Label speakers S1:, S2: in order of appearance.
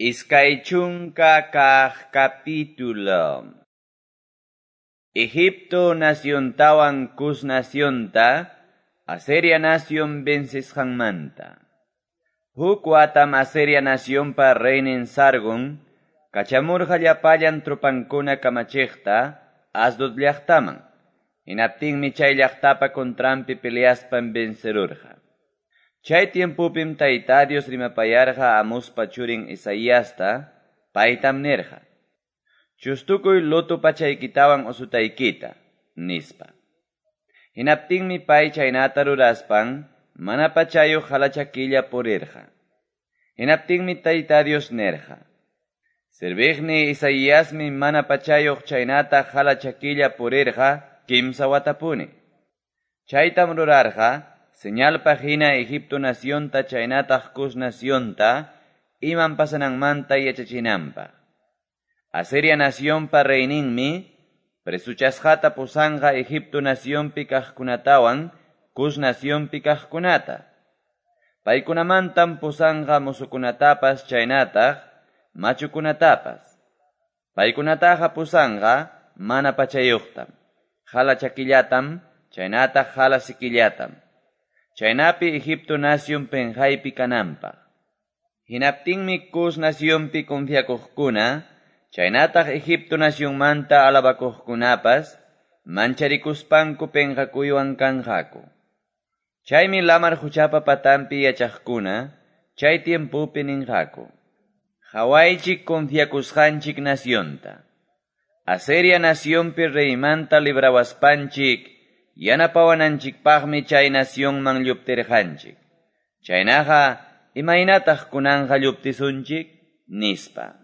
S1: 20 capítulo. Egipto naciontawan Cus nacionta Asiria nación vencisqanmanta. Huk watam Asiria nacionpa reynin Sargon kachamurqa llapallan tropankuna kamachiqta Asdod llaqtaman. Hinaptinmi chay llaqtapa contranpi peleaspan vencerurqa. Chay tiempopim Tayta Dios rimapayarqa Amuspa churin Isaiasta, paytam nirqa: Chustukuy luto pachaykitawan usutaykita, nispa. Hinaptinmi pay chaynata ruraspan mana pachayuq halachakilla purirqa. Hinaptinmi Tayta Dios nirqa: Serviqni Isaiasmi mana pachayuq chaynata halachakilla purirqa kimsa watapuni. Chaytam rurarqa señalpaq hina Egipto nacionta chaynataq Cus nacionta imam pasananmanta yachachinanpaq. Asiria nacionpa reyninmi presuchasqata pusanqa Egipto nacionpi kaqkunatawan Cus nacionpi kaqkunata. Paykunamantam pusanqa musukunatapas chaynataq machukunatapas. Paykunataqa pusanqa mana pachayuqtam, hala chakillatam, chaynataq hala sikillatam. Chaynapi Egipto nación penqaypi kananpaq. Hinaptinmi Cus nacionpi confiakuqkuna, chaynataq Egipto nacionmanta alabakuqkunapas, mancharikuspanku penqakuywan kanqaku. Chaymi lamar huchapa patanpi yachaqkuna, chay tiempopi ninqaku: Qawaychik confiakusqanchik nacionta. Asiria nacionpi reymanta librawaspanchik, yanapawananchikpaqmi chay nacionman lluptirqanchik. Chaynaqa, imaynataq kunanqa lluptisunchik? Nispa.